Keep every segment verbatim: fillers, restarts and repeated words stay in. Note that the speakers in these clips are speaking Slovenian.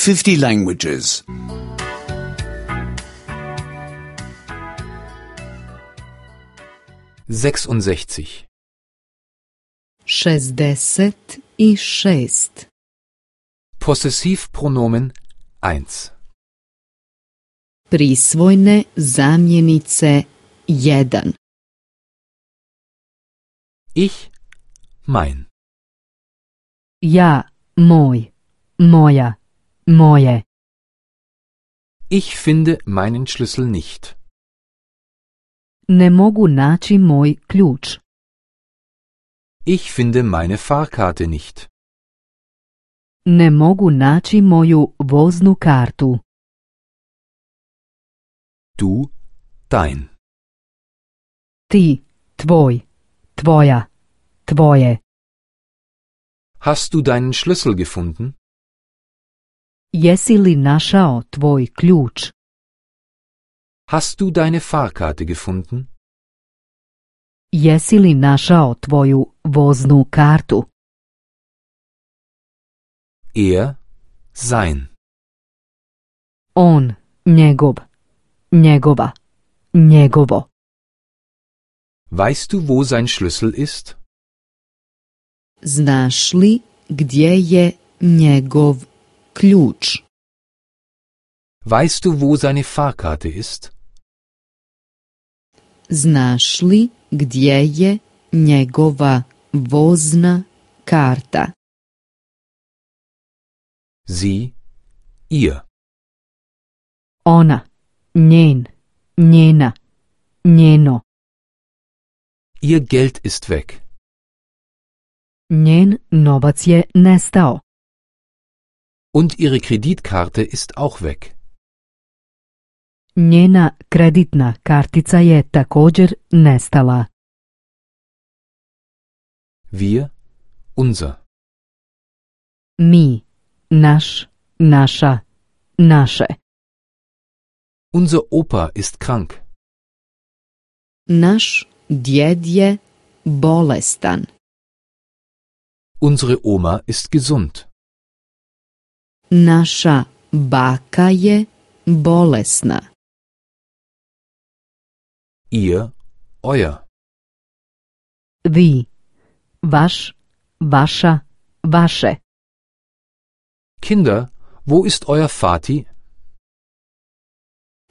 fifty languages. sechsundsechzig. šezdeset i šest. Possessivpronomen eins. Prisvojne zamjenice jedan. Ich, mein. Ja, moj, moja, moje. Ich finde meinen Schlüssel nicht. Ne mogu naći moj ključ. Ich finde meine Fahrkarte nicht. Ne mogu naći moju voznu kartu. Du, dein. Ti, tvoj, tvoja, tvoje. Hast du deinen Schlüssel gefunden? Jesi li našao tvoj ključ? Hast du deine Fahrkarte gefunden? Jesi li našao tvoju voznu kartu? Er, sein. On, njegov, njegova, njegovo. Weißt du, wo sein Schlüssel ist? Znaš li gdje je njegov ključ? Weißt du, wo seine Fahrkarte ist? Znaš li gdje je njegova vozna karta? Sie, ihr. Ona, njen, njena, njeno. Ihr Geld ist weg. Njen novac je nestao. Und ihre Kreditkarte ist auch weg. Njena kreditna kartica je također nestala. Wir, unser. Mi, naš, naša, naše. Unser Opa ist krank. Naš djed je bolestan. Unsere Oma ist gesund. Naša baka je bolesna. Ihr, euer. Vi, vaš, vaša, vaše. Kinder, wo ist euer Vati?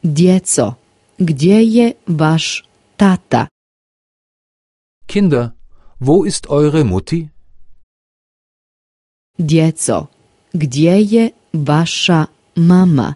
Djeco, gdje je vaš tata? Kinder, wo ist eure Mutti? Djeco, gdje je vaša mama?